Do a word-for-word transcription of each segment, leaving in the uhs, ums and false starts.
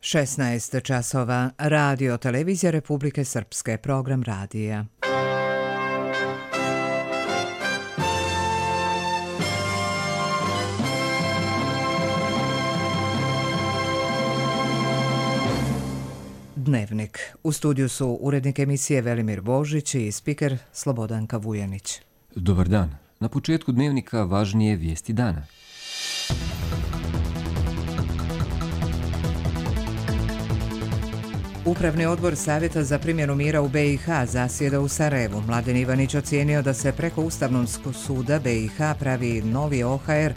šesnaest časova, Radio Televizija Republike Srpske, program radija. Dnevnik. U studiju su urednik emisije Velimir Božić i spiker Slobodanka Vujanić. Dobar dan. Na početku dnevnika važnije vijesti dana. Upravni odbor Savjeta za primjenu mira u be i ha zasjeda u Sarajevu. Mladen Ivanić ocijenio da se preko Ustavnog suda be i ha pravi novi o ha er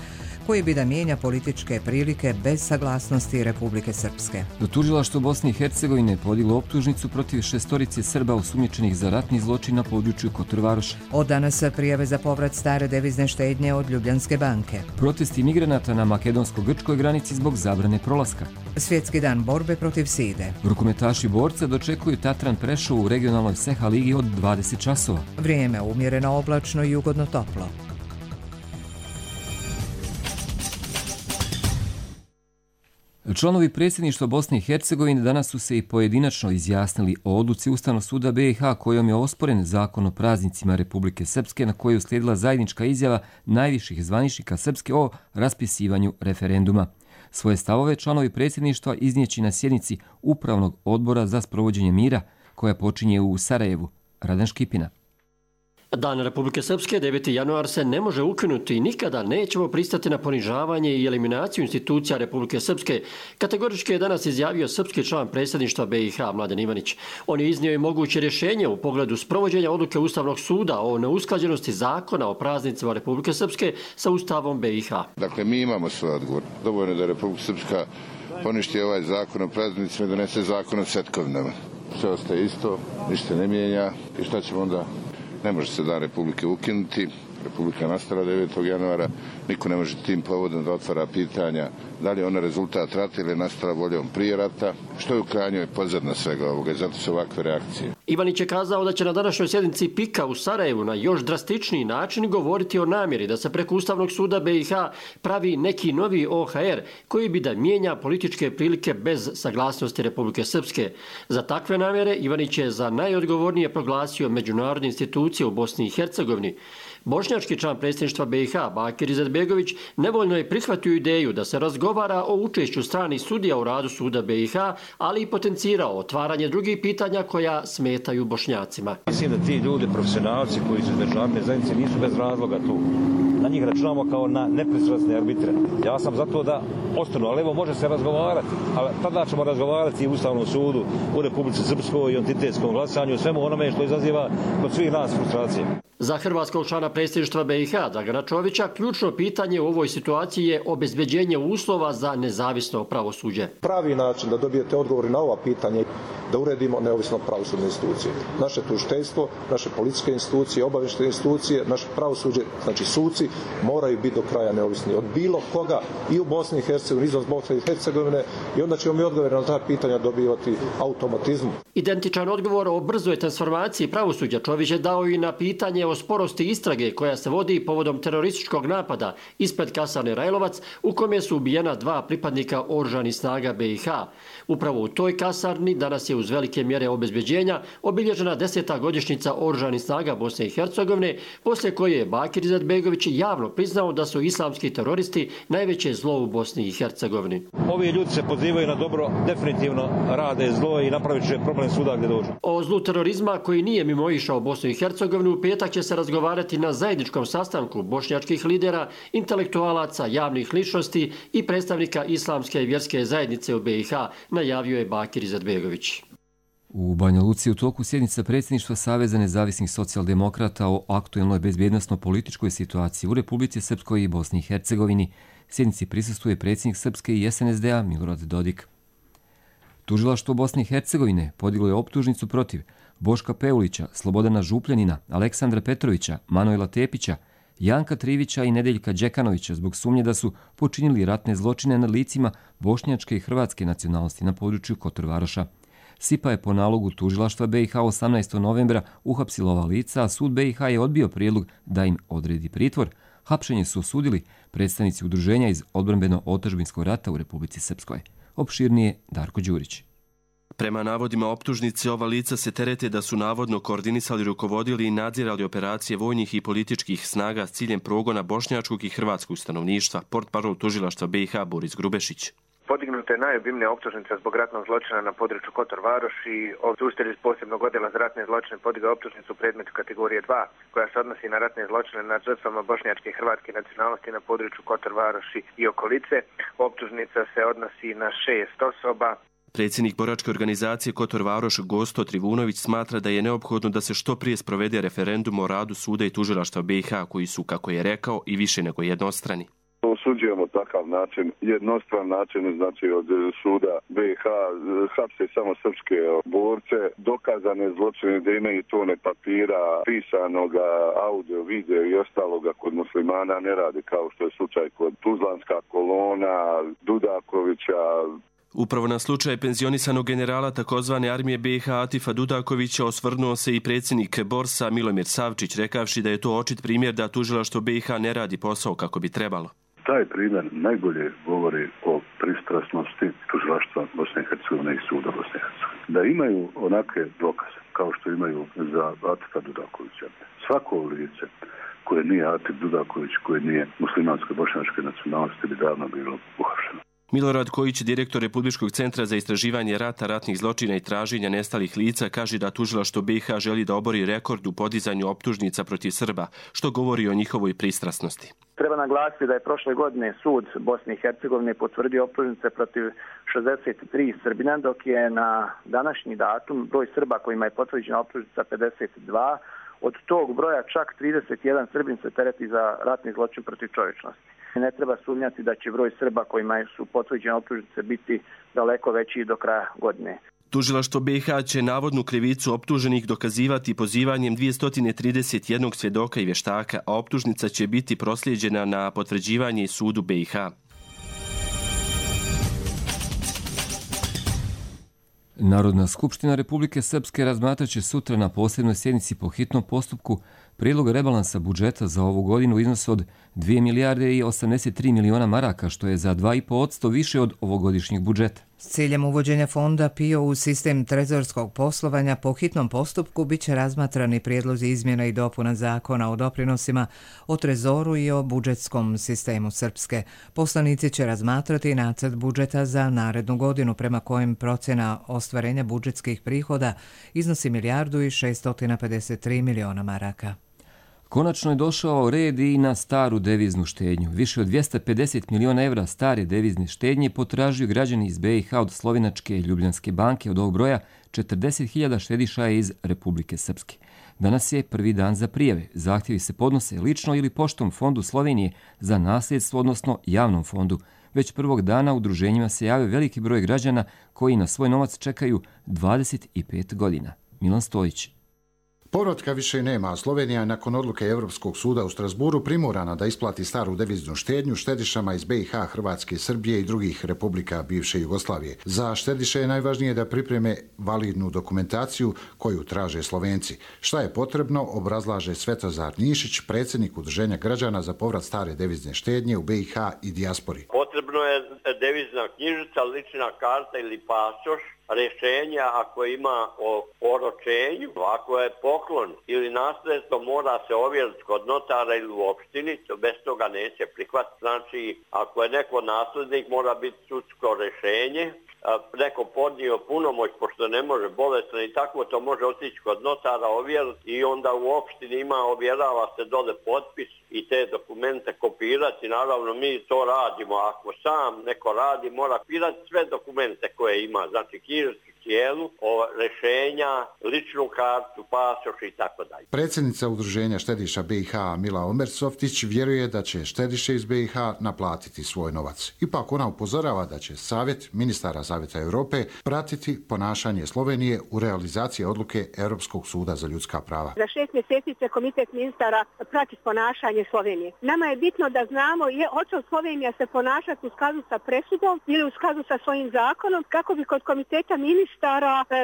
koji bi da mijenja političke prilike bez saglasnosti Republike Srpske. Tužilaštvo Bosne i Hercegovine podiglo optužnicu protiv šestorice Srba osumnjičenih za ratni zločin na području Kotor-Varoša. Od danas prijave za povrat stare devizne štednje od Ljubljanske banke. Protesti migranata na makedonsko-grčkoj granici zbog zabrane prolaska. Svjetski dan borbe protiv side. Rukometaši borca dočekuju Tatran Prešov u regionalnoj Seha ligi od dvadeset časova. Vrijeme umjereno oblačno i ugodno toplo. Članovi predsjedništva Bosne i Hercegovine danas su se i pojedinačno izjasnili o odluci Ustavnog suda be i ha kojom je osporen zakon o praznicima Republike Srpske, na koju je uslijedila zajednička izjava najviših zvaničnika Srpske o raspisivanju referenduma. Svoje stavove članovi predsjedništva iznijeći na sjednici Upravnog odbora za sprovođenje mira koja počinje u Sarajevu. Radan Škipina. Dan Republike Srpske, deveti januar, se ne može ukinuti i nikada nećemo pristati na ponižavanje i eliminaciju institucija Republike Srpske. Kategorički je danas izjavio srpski član predsjedništva be i ha Mladen Ivanić. On je iznio i moguće rješenje u pogledu sprovođenja odluke Ustavnog suda o neusklađenosti zakona o praznicima Republike Srpske sa Ustavom be i ha. Dakle, mi imamo svoj odgovor. Dovoljno da Republika Srpska poništi ovaj zakon o praznicima i donese zakon o setkovinama. Sve ostaje isto, ništa ne mijenja i šta ćemo onda? Ne može se dan Republike ukinuti. Republika nastala devetog januara. Niko ne može tim povodom da otvara pitanja da li je ona rezultat rata ili je nastala voljom prije rata, što je u krajnjoj pozadina svega ovoga i zato su ovakve reakcije. Ivanić je kazao da će na današnjoj sjednici pika u Sarajevu na još drastičniji način govoriti o namjeri da se preko Ustavnog suda be i ha pravi neki novi o ha er koji bi da mijenja političke prilike bez saglasnosti Republike Srpske. Za takve namjere Ivanić je za najodgovornije proglasio međunarodne institucije u Bosni i Hercegovini. Bošnjački član predsjedništva be i ha Bakir Izetbegović nevoljno je prihvatio ideju da se razgovara o učešću stranih sudija u radu suda be i ha, ali i potencirao otvaranje drugih pitanja koja smetaju Bošnjacima. Mislim da ti ljudi, profesionalci koji su iz međunarodne zajednice, nisu bez razloga tu. Na njih računamo kao na nepristrasne arbitre. Ja sam za to da ostanu, ali evo može se razgovarati. Ali tada ćemo razgovarati i u Ustavnom sudu, u Republici Srpskoj i entitetskom glasanju, svemu onome što izaziva kod svih nas frustracije. Za hrvatskog člana predsjedništva be i ha Dragana Čovića ključno pitanje u ovoj situaciji je obezbeđenje uslova za nezavisno pravosuđe. Pravi način da dobijete odgovori na ova pitanja da uredimo neovisno pravosudne institucije. Naše tužiteljstvo, naše policijske institucije, obavještajne institucije, naše pravosuđe, znači suci, moraju biti do kraja neovisni od bilo koga i u Bosni i Hercegovini, izvan Bosne i Hercegovine, i onda ćemo mi odgovore na ta pitanja dobivati automatizmom. Identičan odgovor o brzoj transformaciji pravosuđa Čović je dao i na pitanje o sporosti istrage koja se vodi povodom terorističkog napada ispred kasarne Rajlovac u kome su ubijena dva pripadnika oružanih snaga be i ha. Upravo u toj kasarni danas je uz velike mjere obezbeđenja obilježena deseta godišnjica oružanih snaga Bosne i Hercegovine, poslije koje je Bakir Izetbegović javno priznao da su islamski teroristi najveće zlo u Bosni i Hercegovini. Ovi ljudi se pozivaju na dobro, definitivno rade zlo i napravit će problem svuda gdje dođu. O zlu terorizma koji nije mimoišao Bosnu i Hercegovinu u petak će se razgovarati na zajedničkom sastanku bošnjačkih lidera, intelektualaca, javnih ličnosti i predstavnika islamske i vjerske zajednice u be i ha, najavio je Bakir Izetbegović. U Banja Luci u toku sjednica predsjedništva Saveza nezavisnih socijaldemokrata o aktuelnoj bezbjednosno-političkoj situaciji u Republici Srpskoj i Bosni i Hercegovini. Sjednici prisustvuje predsjednik Srpske i es en es de a Milorad Dodik. Tužilaštvo Bosne i Hercegovine podiglo je optužnicu protiv Boška Peulića, Slobodana Župljanina, Aleksandra Petrovića, Manuela Tepića, Janka Trivića i Nedeljka Đekanovića zbog sumnje da su počinili ratne zločine nad licima bošnjačke i hrvatske nacionalnosti na području Kotor-Varoša. Sipa je po nalogu tužilaštva be i ha osamnaestog novembra uhapsila ova lica, a sud be i ha je odbio prijedlog da im odredi pritvor. Hapšenje su osudili predstavnici udruženja iz odbrambeno-otadžbinskog rata u Republici Srpskoj. Opširnije Darko Đurić. Prema navodima optužnice, ova lica se terete da su navodno koordinisali, rukovodili i nadzirali operacije vojnih i političkih snaga s ciljem progona bošnjačkog i hrvatskog stanovništva, portparol tužilaštva B i H Boris Grubešić. Podignuta je najobimnija optužnica zbog ratnog zločina na području Kotor Varoši. Tužitelj iz posebnog odjela za ratne zločine podigao optužnicu u predmetu kategorije dva, koja se odnosi na ratne zločine nad žrtvama bošnjačke i hrvatske nacionalnosti na području Kotor Varoši i okolice. Optužnica se odnosi na šest osoba. Predsjednik boračke organizacije Kotor Varoš Gosto Trivunović smatra da je neophodno da se što prije sprovede referendum o radu suda i tužilaštva B i H, koji su, kako je rekao, i više nego jednostrani. Osuđujemo takav način, jednostran način, znači od suda B i H hapse samo srpske borce, dokazane zločine da imaju tone papira, pisanoga, audio, video i ostaloga kod muslimana ne radi, kao što je slučaj kod Tuzlanska kolona, Dudakovića. Upravo na slučaj penzionisanog generala takozvane armije B i H Atifa Dudakovića osvrnuo se i predsjednik Borsa Milomir Savčić, rekavši da je to očit primjer da tužilaštvo B i H ne radi posao kako bi trebalo. Taj primjer najbolje govori o pristrasnosti tužilaštva Bosne i Hercegovine i suda Bosne i Hercegovine. Da imaju onake dokaze kao što imaju za Atifa Dudakovića. Svako lice koje nije Atif Dudaković, koje nije muslimanske bošnjačke nacionalnosti, bi davno bilo uhapšeno. Milorad Kojić, direktor Republičkog centra za istraživanje rata, ratnih zločina i traženja nestalih lica, kaže da tužilaštvo B i H želi da obori rekord u podizanju optužnica protiv Srba, što govori o njihovoj pristrasnosti. Treba naglasiti da je prošle godine sud Bosne i Hercegovine potvrdio optužnice protiv šezdeset tri Srbina, dok je na današnji datum broj Srba kojima je potvrđena optužnica pedeset dva. Od tog broja čak trideset jedan Srbin se tereti za ratni zločin protiv čovječnosti. Ne treba sumnjati da će broj Srba kojima su potvrđene optužnice biti daleko veći do kraja godine. Tužilaštvo B i H će navodnu krivicu optuženih dokazivati pozivanjem dvjesto trideset jedan svjedoka i vještaka, a optužnica će biti proslijeđena na potvrđivanje sudu B i H. Narodna skupština Republike Srpske razmatraće sutra na posebnoj sjednici po hitnom postupku prijedlog rebalansa budžeta za ovu godinu u iznosu od dvije milijarde i osamdeset tri miliona maraka, što je za dva i po posto više od ovogodišnjeg budžeta. S ciljem uvođenja fonda P I O u sistem trezorskog poslovanja po hitnom postupku bit će razmatrani prijedlozi izmjena i dopuna zakona o doprinosima, o trezoru i o budžetskom sistemu Srpske. Poslanici će razmatrati nacrt budžeta za narednu godinu, prema kojem procjena ostvarenja budžetskih prihoda iznosi milijardu i šesto pedeset tri miliona maraka. Konačno je došao red i na staru deviznu štednju. Više od dvjesto pedeset miliona evra stare devizne štednje potražuju građani iz B i H od Slovenačke i Ljubljanske banke. Od ovog broja četrdeset hiljada štediša je iz Republike Srpske. Danas je prvi dan za prijave. Zahtjevi se podnose lično ili poštom Fondu Slovenije za nasljedstvo, odnosno javnom fondu. Već prvog dana udruženjima se jave veliki broj građana koji na svoj novac čekaju dvadeset pet godina. Milan Stojić. Povratka više nema, a Slovenija je nakon odluke Europskog suda u Strasburu primorana da isplati staru deviznu štednju štedišama iz B i H, Hrvatske, Srbije i drugih republika bivše Jugoslavije. Za štediše je najvažnije da pripreme validnu dokumentaciju koju traže Slovenci. Šta je potrebno, obrazlaže Svetozar Nišić, predsjednik Udruženja građana za povrat stare devizne štednje u B i H i dijaspori. Potrebno je devizna knjižica, lična karta ili pasoš, rješenja ako ima o oročenju, ako je poklon ili nasljedstvo mora se ovjeriti kod notara ili u opštini, to bez toga neće prihvatiti. Znači, ako je neko nasljednik, mora biti sudsko rješenje, neko podnio punomoć pošto ne može bolesno i tako, to može otići kod notara ovjeriti i onda u opštini ima, ovjerava se dole potpis i te dokumente kopirati. Naravno, mi to radimo. Ako sam neko radi, mora kopirati sve dokumente koje ima, znači knjižicu cijelu, rješenja, ličnu kartu, pasoš i tako dalje. Predsjednica Udruženja štediša B i H Mila Omersoftić vjeruje da će štediše iz B i H naplatiti svoj novac. Ipak ona upozorava da će Savjet ministara Savjeta Europe pratiti ponašanje Slovenije u realizaciji odluke Europskog suda za ljudska prava. Za šest mjeseci će komitet ministara pratiti ponašanje Slovenije. Nama je bitno da znamo je hoće Slovenija se ponašati u skladu sa presudom ili u skladu sa svojim zakonom, kako bi kod komiteta ministara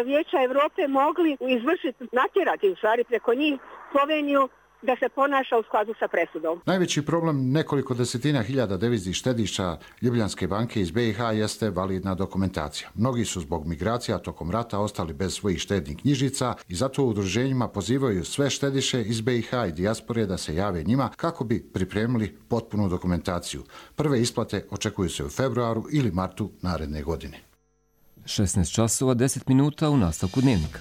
Vijeća Europe mogli izvršiti, natjerati u stvari preko njih Sloveniju da se ponaša u skladu sa presudom. Najveći problem nekoliko desetina hiljada deviznih štediša Ljubljanske banke iz be i ha jeste validna dokumentacija. Mnogi su zbog migracija tokom rata ostali bez svojih štednih knjižica i zato u udruženjima pozivaju sve štediše iz be i ha i dijaspore da se jave njima kako bi pripremili potpunu dokumentaciju. Prve isplate očekuju se u februaru ili martu naredne godine. šesnaest časova deset minuta u nastavku dnevnika.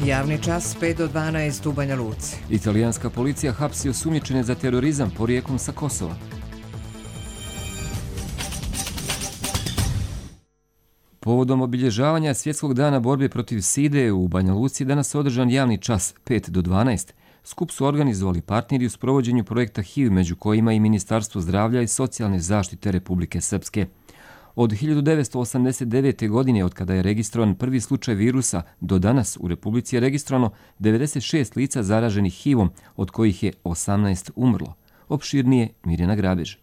Javni čas pet do dvanaest u Banja Luci. Italijanska policija hapsi osumnjičene za terorizam porijeklom sa Kosova. Povodom obilježavanja Svjetskog dana borbe protiv side u Banja Luci danas održan javni čas pet do dvanaest. Skup su organizovali partneri u sprovođenju projekta H I V, među kojima i Ministarstvo zdravlja i socijalne zaštite Republike Srpske. Od hiljadu devetsto osamdeset devete. godine, od kada je registrovan prvi slučaj virusa, do danas u Republici je registrovano devedeset šest lica zaraženih H I V-om, od kojih je osamnaest umrlo. Opširnije Mirjana Grabež.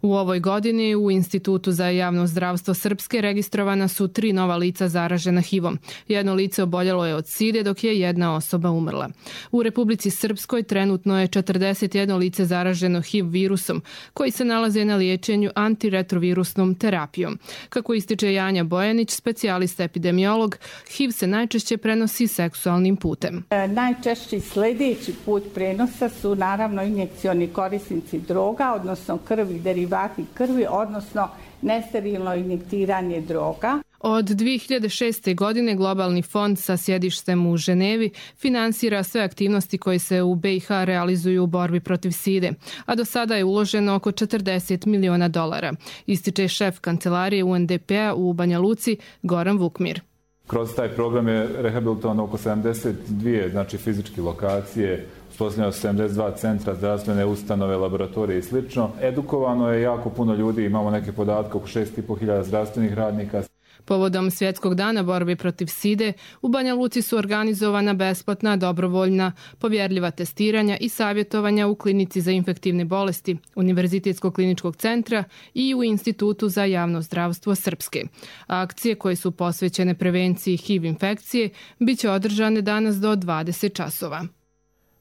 U ovoj godini u Institutu za javno zdravstvo Srpske registrovana su tri nova lica zaražena H I V-om. Jedno lice oboljelo je od side, dok je jedna osoba umrla. U Republici Srpskoj trenutno je četrdeset jedno lice zaraženo H I V virusom, koji se nalaze na liječenju antiretrovirusnom terapijom. Kako ističe Janja Bojanić, specijalista epidemiolog, H I V se najčešće prenosi seksualnim putem. Najčešći sljedeći put prenosa su naravno injekcioni korisnici droga, odnosno krvi, derivati krvi, odnosno nesterilno injektiranje droga. Od dvije hiljade šeste. godine Globalni fond sa sjedištem u Ženevi finansira sve aktivnosti koje se u be i ha realizuju u borbi protiv side, a do sada je uloženo oko četrdeset miliona dolara, ističe šef kancelarije u en de pe-a u Banja Luci Goran Vukmir. Kroz taj program je rehabilitovano oko sedamdeset dvije znači fizičke lokacije, uspostavljeno sedamdeset dva centra, zdravstvene ustanove, laboratorije i sl. Edukovano je jako puno ljudi, imamo neke podatke, oko šest i po hiljada zdravstvenih radnika. Povodom Svjetskog dana borbe protiv side, u Banja Luci su organizovana besplatna, dobrovoljna, povjerljiva testiranja i savjetovanja u klinici za infektivne bolesti Univerzitetskog kliničkog centra i u Institutu za javno zdravstvo Srpske. Akcije koje su posvećene prevenciji H I V infekcije bit će održane danas do dvadeset časova.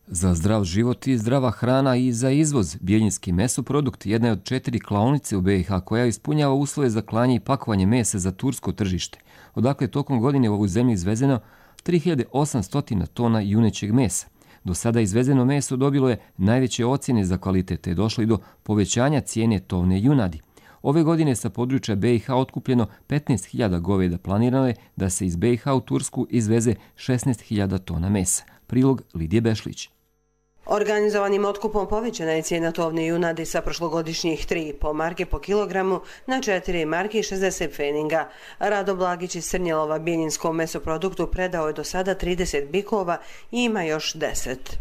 Za zdrav život i zdrava hrana i za izvoz, Bjeljinski mesoprodukt jedna je od četiri klaonice u be i ha koja ispunjava uslove za klanje i pakovanje mesa za tursko tržište. Odakle tokom godine u ovu zemlju izvezeno tri hiljade osamsto tona junećeg mesa. Do sada izvezeno meso dobilo je najveće ocjene za kvalitet te je došlo i do povećanja cijene tovne junadi. Ove godine sa područja be i ha otkupljeno petnaest hiljada goveda, planirano je da se iz be i ha u Tursku izveze šesnaest hiljada tona mesa. Prilog Lidije Bešlić. Organizovanim otkupom povećana je cijena tovne junadi sa prošlogodišnjih tri i po marke po kilogramu na četiri marke i šezdeset pfeninga. Rado Blagić iz Srnjelova Bjeljinskom mesoproduktu predao je do sada trideset bikova i ima još deset.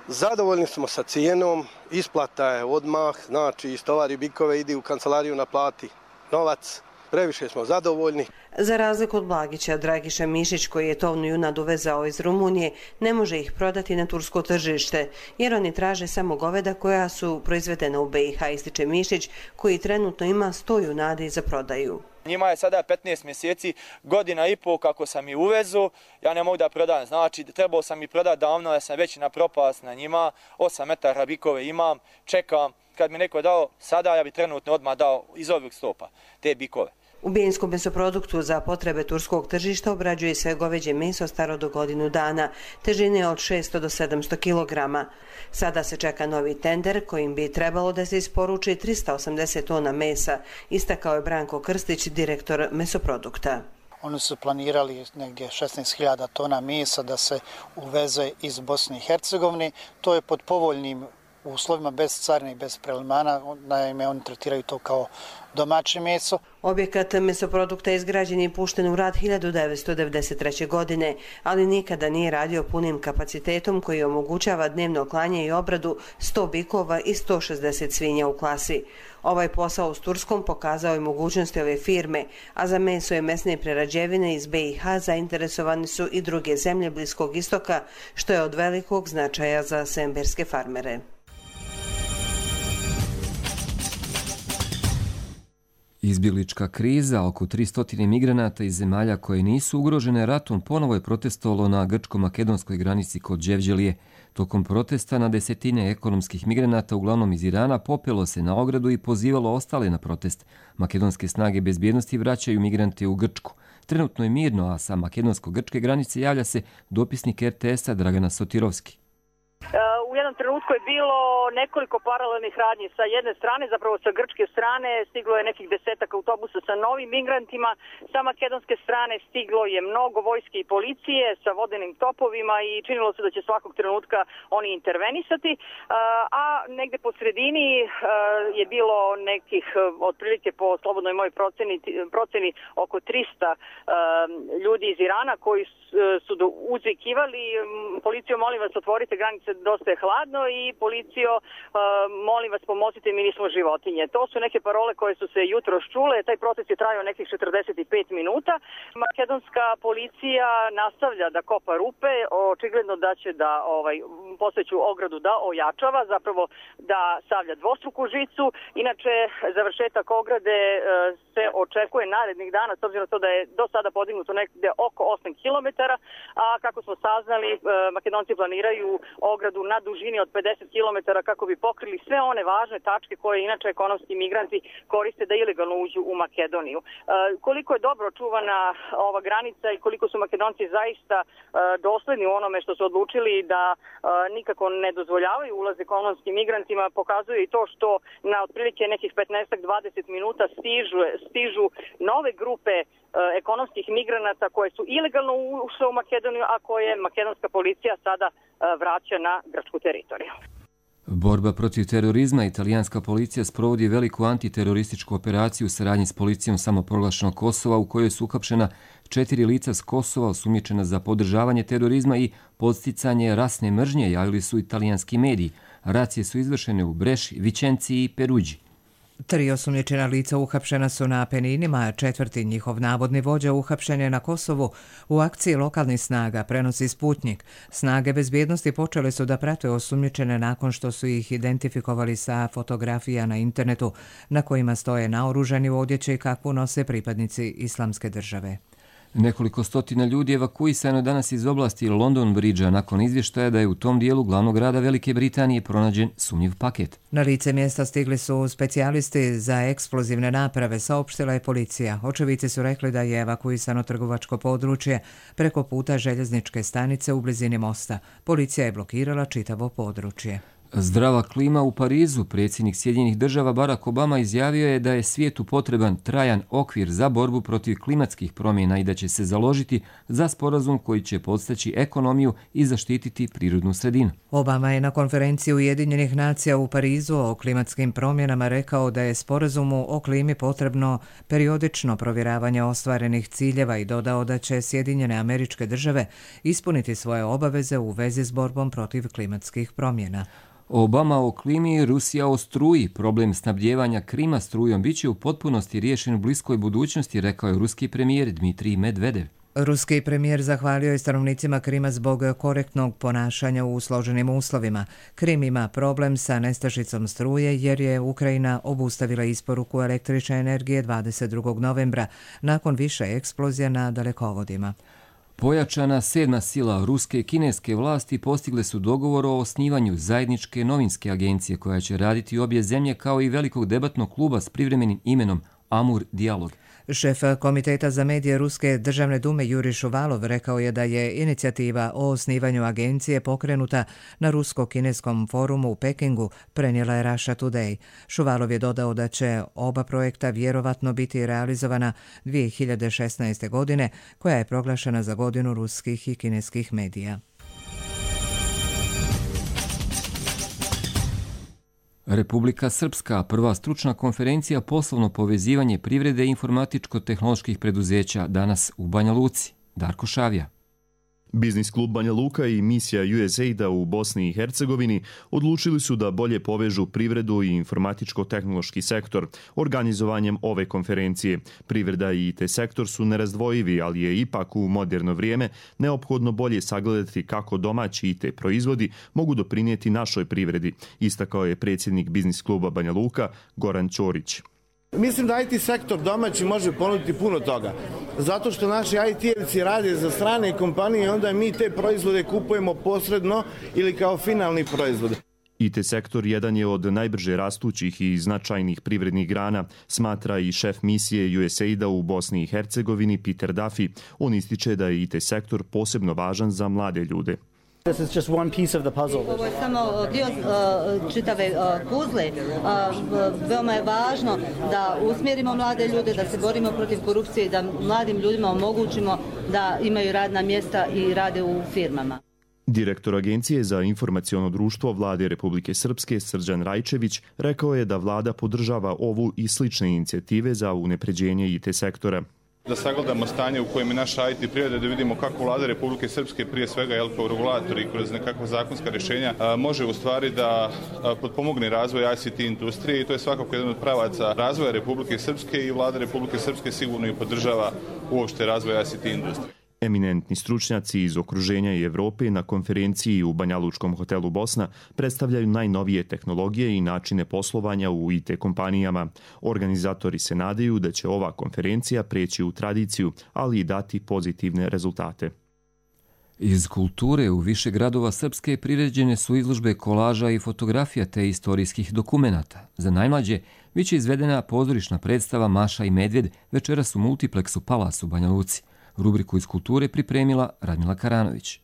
Zadovoljni smo sa cijenom, isplata je odmah, znači istovari bikove, idi u kancelariju naplati novac. Previše smo zadovoljni. Za razliku od Blagića, Dragiša Mišić, koji je tovnu junad uvezao iz Rumunije, ne može ih prodati na tursko tržište, jer oni traže samo goveda koja su proizvedena u be i ha, ističe Mišić, koji trenutno ima sto junadi za prodaju. Njima je sada petnaest mjeseci, godina i pol kako sam i uvezu, ja ne mogu da prodam. Znači, trebao sam i prodati davno, ja sam već na propast na njima, osam metara bikove imam, čekam. Kad mi neko dao sada, ja bi trenutno odmah dao iz ovih stopa te bikove. U Bjeljskom mesoproduktu za potrebe turskog tržišta obrađuje se goveđe meso staro do godinu dana, težine od šesto do sedamsto kilograma. Sada se čeka novi tender kojim bi trebalo da se isporuči trista osamdeset tona mesa, istakao je Branko Krstić, direktor mesoprodukta. Oni su planirali negdje šesnaest hiljada tona mesa da se uveze iz Bosne i Hercegovine. To je pod povoljnim uslovima, bez carine i bez prelimana, naime oni tretiraju to kao domaće meso. Objekat mesoprodukta je izgrađen i pušten u rad hiljadu devetsto devedeset treće. godine, ali nikada nije radio punim kapacitetom koji omogućava dnevno klanje i obradu sto bikova i sto šezdeset svinja u klasi. Ovaj posao s Turskom pokazao je mogućnosti ove firme, a za meso i mesne prerađevine iz be i ha zainteresovani su i druge zemlje Bliskog istoka, što je od velikog značaja za semberske farmere. Izbjeglička kriza, oko tristo migranata iz zemalja koje nisu ugrožene ratom, ponovo je protestovalo na grčko-makedonskoj granici kod Đevđelije. Tokom protesta na desetine ekonomskih migranata, uglavnom iz Irana, popelo se na ogradu i pozivalo ostale na protest. Makedonske snage bezbjednosti vraćaju migrante u Grčku. Trenutno je mirno, a sa makedonsko-grčke granice javlja se dopisnik er te esa Dragana Sotirovski. U jednom trenutku je bilo nekoliko paralelnih radnji. Sa jedne strane, zapravo sa grčke strane, stiglo je nekih desetak autobusa sa novim migrantima. Sa makedonske strane stiglo je mnogo vojske i policije sa vodenim topovima i činilo se da će svakog trenutka oni intervenisati. A negde po sredini je bilo nekih, otprilike po slobodnoj mojoj proceni, proceni oko trista ljudi iz Irana koji su uzvikivali: policijo, molim vas, otvorite granice, dosta je hladno, i policijo, molim vas, pomozite, mi nismo životinje. To su neke parole koje su se jutros čule. Taj protest je trajao nekih četrdeset pet minuta. Makedonska policija nastavlja da kopa rupe, očigledno da će da ovaj, postojeću ogradu da ojačava, zapravo da stavlja dvostruku žicu. Inače, završetak ograde se očekuje narednih dana, s obzirom na to da je do sada podignuto negde oko osam kilometara, a kako smo saznali, Makedonci planiraju ogradu na dužini od pedeset kilometara kako bi pokrili sve one važne tačke koje inače ekonomski migranti koriste da ilegalno uđu u Makedoniju. E, koliko je dobro čuvana ova granica i koliko su Makedonci zaista e, dosledni u onome što su odlučili da e, nikako ne dozvoljavaju ulaz ekonomskim migrantima, pokazuje i to što na otprilike nekih petnaest do dvadeset minuta stižu, stižu nove grupe e, ekonomskih migranata koje su ilegalno ušle u Makedoniju, a koje makedonska policija sada vraća na grčku teritoriju. Borba protiv terorizma. Italijanska policija sprovodi veliku antiterorističku operaciju u saradnji s policijom samoproglašenog Kosova, u kojoj su uhapšena četiri lica s Kosova osumnjičena za podržavanje terorizma i podsticanje rasne mržnje, javili su italijanski mediji. Racije su izvršene u Breši, Vičenciji i Peruđi. Tri osumnjičena lica uhapšena su na Apeninima, a četvrti njihov navodni vođa uhapšen je na Kosovu u akciji lokalnih snaga, prenosi Sputnik. Snage bezbjednosti počele su da prate osumnjičene nakon što su ih identifikovali sa fotografija na internetu na kojima stoje naoružani u odjeći kakvu nose pripadnici Islamske države. Nekoliko stotina ljudi evakuisano danas iz oblasti London Bridgea nakon izvještaja da je u tom dijelu glavnog grada Velike Britanije pronađen sumnjiv paket. Na lice mjesta stigli su specijalisti za eksplozivne naprave, saopštila je policija. Očevici su rekli da je evakuisano trgovačko područje preko puta željezničke stanice u blizini mosta. Policija je blokirala čitavo područje. Zdrava klima u Parizu. Predsjednik Sjedinjenih država Barack Obama izjavio je da je svijetu potreban trajan okvir za borbu protiv klimatskih promjena i da će se založiti za sporazum koji će podstaći ekonomiju i zaštititi prirodnu sredinu. Obama je na konferenciji Ujedinjenih nacija u Parizu o klimatskim promjenama rekao da je sporazumu o klimi potrebno periodično provjeravanje ostvarenih ciljeva i dodao da će Sjedinjene Američke Države ispuniti svoje obaveze u vezi s borbom protiv klimatskih promjena. Obama o klimi i Rusija o struji. Problem snabdjevanja Krima strujom biće u potpunosti riješen u bliskoj budućnosti, rekao je ruski premijer Dmitrij Medvedev. Ruski premijer zahvalio je stanovnicima Krima zbog korektnog ponašanja u složenim uslovima. Krim ima problem sa nestašicom struje jer je Ukrajina obustavila isporuku električne energije dvadeset drugog novembra nakon više eksplozija na dalekovodima. Pojačana sedma sila ruske i kineske vlasti postigle su dogovor o osnivanju zajedničke novinske agencije koja će raditi obje zemlje kao i velikog debatnog kluba s privremenim imenom Amur Dialog. Šef Komiteta za medije Ruske državne dume Juri Šuvalov rekao je da je inicijativa o osnivanju agencije pokrenuta na rusko-kineskom forumu u Pekingu, prenijela je Russia Today. Šuvalov je dodao da će oba projekta vjerovatno biti realizovana dvije hiljade šesnaeste. godine, koja je proglašena za godinu ruskih i kineskih medija. Republika Srpska, prva stručna konferencija poslovno povezivanje privrede i informatičko-tehnoloških preduzeća, danas u Banja Luci. Darko Šavija. Biznis klub Banja Luka i misija U S A I D-a u Bosni i Hercegovini odlučili su da bolje povežu privredu i informatičko-tehnološki sektor organizovanjem ove konferencije. Privreda i I T sektor su nerazdvojivi, ali je ipak u moderno vrijeme neophodno bolje sagledati kako domaći I T proizvodi mogu doprinijeti našoj privredi, istakao je predsjednik biznis kluba Banja Luka Goran Ćorić. Mislim da I T sektor domaći može ponuditi puno toga. Zato što naši I T-evci rade za strane kompanije, onda mi te proizvode kupujemo posredno ili kao finalni proizvod. I T sektor jedan je od najbrže rastućih i značajnih privrednih grana, smatra i šef misije U S A I D-a u Bosni i Hercegovini Peter Duffy. On ističe da je I T sektor posebno važan za mlade ljude. This is just one piece of the puzzle. Ovo je samo dio uh, čitave uh, puzle. Uh, veoma je važno da usmjerimo mlade ljude, da se borimo protiv korupcije i da mladim ljudima omogućimo da imaju radna mjesta i rade u firmama. Direktor Agencije za informaciono društvo Vlade Republike Srpske Srđan Rajčević rekao je da vlada podržava ovu i slične inicijative za unapređenje I T sektora. Da sagledamo stanje u kojem je naša I T privreda, da vidimo kako vlada Republike Srpske, prije svega jel, kao regulator i kroz nekakva zakonska rješenja može u stvari da potpomogne razvoj I C T industrije i to je svakako jedan od pravaca razvoja Republike Srpske i vlada Republike Srpske sigurno i podržava uopšte razvoj I C T industrije. Eminentni stručnjaci iz okruženja i Evrope na konferenciji u Banjalučkom hotelu Bosna predstavljaju najnovije tehnologije i načine poslovanja u I T kompanijama. Organizatori se nadaju da će ova konferencija preći u tradiciju, ali i dati pozitivne rezultate. Iz kulture u više gradova Srpske priređene su izložbe kolaža i fotografija te istorijskih dokumenata. Za najmlađe biće izvedena pozorišna predstava Maša i Medvjed večeras u multipleksu Palas u Banja Luci. Rubriku iz kulture pripremila Radmila Karanović.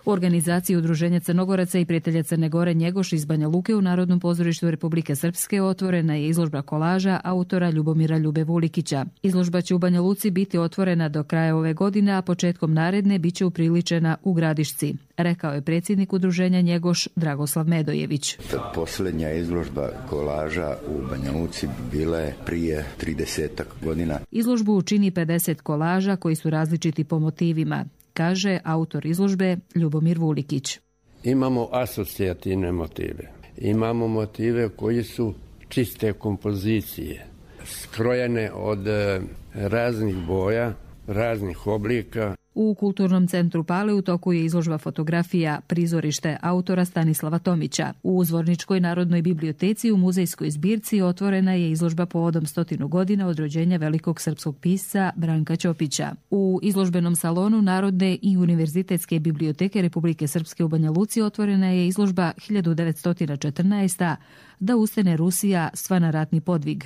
U organizaciji Udruženja Crnogoraca i prijatelja Crne Gore Njegoš iz Banja Luke u Narodnom pozorištu Republike Srpske otvorena je izložba kolaža autora Ljubomira Ljube Vulikića. Izložba će u Banja Luci biti otvorena do kraja ove godine, a početkom naredne biće upriličena u Gradišci, rekao je predsjednik Udruženja Njegoš Dragoslav Medojević. Posljednja izložba kolaža u Banja Luci bila je prije trideset godina. Izložbu čini pedeset kolaža koji su različiti po motivima, kaže autor izložbe Ljubomir Vulikić. Imamo asocijativne motive. Imamo motive koji su čiste kompozicije, skrojene od raznih boja, raznih oblika. U Kulturnom centru Pale u toku je izložba fotografija Prizorište autora Stanislava Tomića. U Zvorničkoj narodnoj biblioteci u muzejskoj zbirci otvorena je izložba povodom stotinu godina od rođenja velikog srpskog pisca Branka Ćopića. U izložbenom salonu Narodne i univerzitetske biblioteke Republike Srpske u Banja Luci otvorena je izložba hiljadu devetsto četrnaeste. Da ustane Rusija sva na ratni podvig,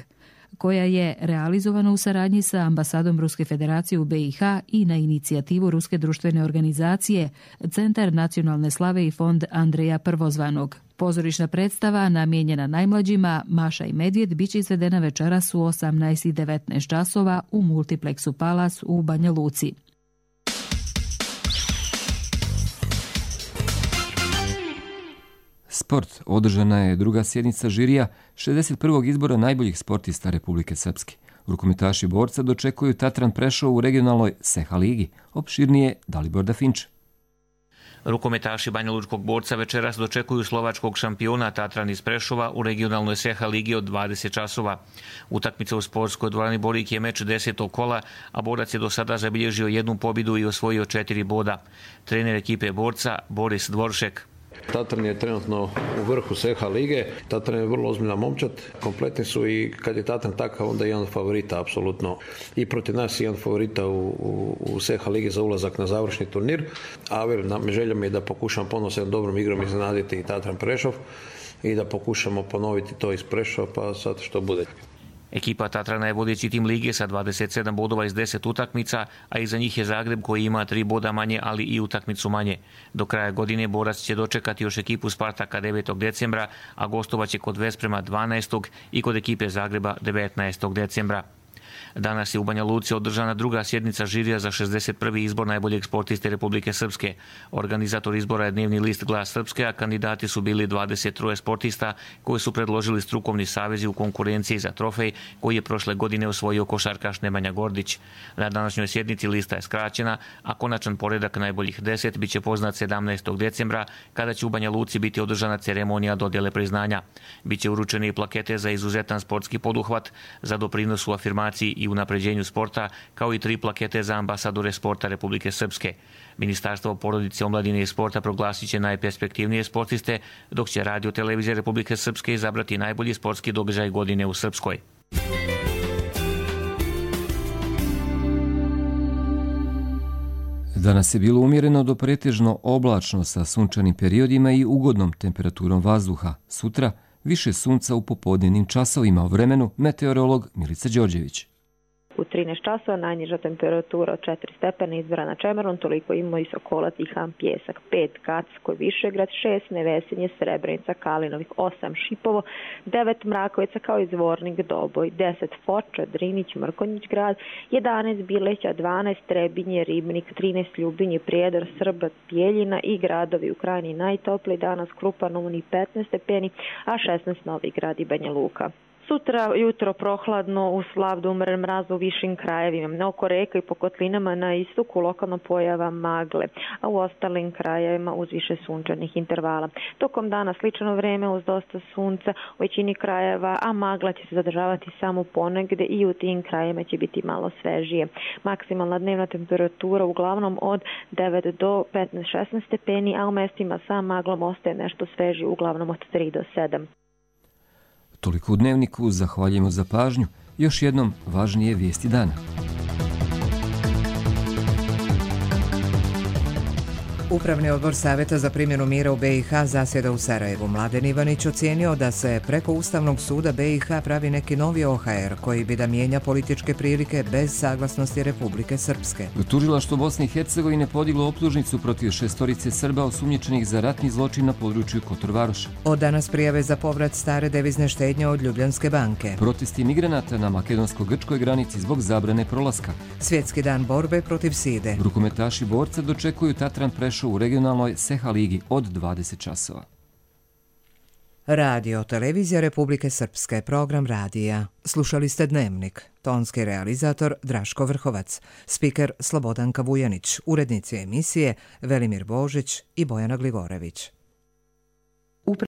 koja je realizovana u saradnji sa ambasadom Ruske federacije u B i H i na inicijativu Ruske društvene organizacije Centar nacionalne slave i fond Andreja Prvozvanog. Pozorišna predstava namijenjena najmlađima Maša i Medvjed biće izvedena večeras u osamnaest i devetnaest časova u multipleksu Palas u Banja Luci. Sport. Održana je druga sjednica žirija šezdeset prvog izbora najboljih sportista Republike Srpske. Rukometaši borca dočekuju Tatran Prešov u regionalnoj Seha ligi. Opširnije Dalibor Dafinče. Rukometaši Banjalučkog borca večeras dočekuju slovačkog šampiona Tatran iz Prešova u regionalnoj Seha ligi od dvadeset časova. Utakmica u sportskoj dvorani Borik je meč desetog kola, a borac je do sada zabilježio jednu pobjedu i osvojio četiri boda. Trener ekipe borca Boris Dvoršek. Tatran je trenutno u vrhu Seha lige. Tatran je vrlo ozbiljna momčad. Kompletni su i kad je Tatran takav, onda je jedan favorita, apsolutno. I protiv nas je jedan favorita u, u, u Seha ligi za ulazak na završni turnir. A velim, želja mi je da pokušam ponovno s jednom dobrom igrom iznenaditi i Tatran Prešov i da pokušamo ponoviti to iz Prešova, pa sad što bude. Ekipa Tatrana je vodeći tim lige sa dvadeset sedam bodova iz deset utakmica, a iza njih je Zagreb koji ima tri boda manje, ali i utakmicu manje. Do kraja godine borac će dočekati još ekipu Spartaka devetog decembra, a gostovaće kod Vesprema dvanaestog i kod ekipe Zagreba devetnaestog decembra. Danas je u Banja Luci održana druga sjednica žirija za šezdeset prvi izbor najboljeg sportiste Republike Srpske. Organizator izbora je dnevni list Glas Srpske, a kandidati su bili dvadeset tri sportista koji su predložili strukovni savezi u konkurenciji za trofej koji je prošle godine osvojio košarkaš Nemanja Gordić. Na današnjoj sjednici lista je skraćena, a konačan poredak najboljih deset biće poznat sedamnaestog decembra kada će u Banja Luci biti održana ceremonija dodjele priznanja. Biće uručene i plakete za izuzetan sportski poduhvat, za doprinos u afirmaciji i unapređenju sporta, kao i tri plakete za ambasadore sporta Republike Srpske. Ministarstvo porodice, omladine i sporta proglasit će najperspektivnije sportiste, dok će Radio televizija Republike Srpske izabrati najbolji sportski događaj godine u Srpskoj. Danas je bilo umjereno do pretežno oblačno sa sunčanim periodima i ugodnom temperaturom vazduha. Sutra više sunca u popodnevnim časovima. O vremenu meteorolog Milica Đorđević. U trinaest časova najniža temperatura od četiri stepena izvora na Čemerun, toliko ima i Sokola, Tihan, Pjesak, pet Kacko, Višegrad, šest Nevesinje, Srebrenica, Kalinovih, osam Šipovo, devet Mrakovica kao i Zvornik, Doboj, deset Foča, Drinić, Mrkonjić grad, jedanaest Bileća, dvanaest Trebinje, Ribnik, trinaest Ljubinje, Prijedor, Srbac, Bijeljina i gradovi u Krajini najtopliji danas, Krupan, Uni petnaest stepeni, a šesnaest Novi Grad i Banja Luka. Sutra jutro prohladno, uz slav do umeren mraz u višim krajevima. Oko reka i po kotlinama na istoku lokalno pojava magle, a u ostalim krajevima uz više sunčanih intervala. Tokom dana slično vreme uz dosta sunca u većini krajeva, a magla će se zadržavati samo ponegde i u tim krajevima će biti malo svežije. Maksimalna dnevna temperatura uglavnom od devet do petnaest šesnaest stepeni, a u mestima sa maglom ostaje nešto svežije, uglavnom od tri do sedam. Toliko u Dnevniku, zahvaljujemo za pažnju. Još jednom važnije vijesti dana. Upravni odbor Savjeta za primjenu mira u B i H zasjeda u Sarajevu. Mladen Ivanić ocijenio da se preko Ustavnog suda B i H pravi neki novi O H R koji bi da mijenja političke prilike bez saglasnosti Republike Srpske. Tužilaštvo Bosne i Hercegovine podiglo optužnicu protiv šestorice Srba osumnjičenih za ratni zločin na području Kotor-Varoša. Od danas prijave za povrat stare devizne štednje od Ljubljanske banke. Protesti migranata na makedonsko-grčkoj granici zbog zabrane prolaska. Svjetski dan borbe protiv side. Rukometaši borca dočekuju Tatran Prešov u regionalnoj Seha ligi od dvadeset časova. Radio Televizija Republike Srpske, program radija. Slušali ste Dnevnik. Tonski realizator Draško Vrhovac, spiker Slobodanka Vujanić, urednici emisije Velimir Božić i Bojana Glivorević.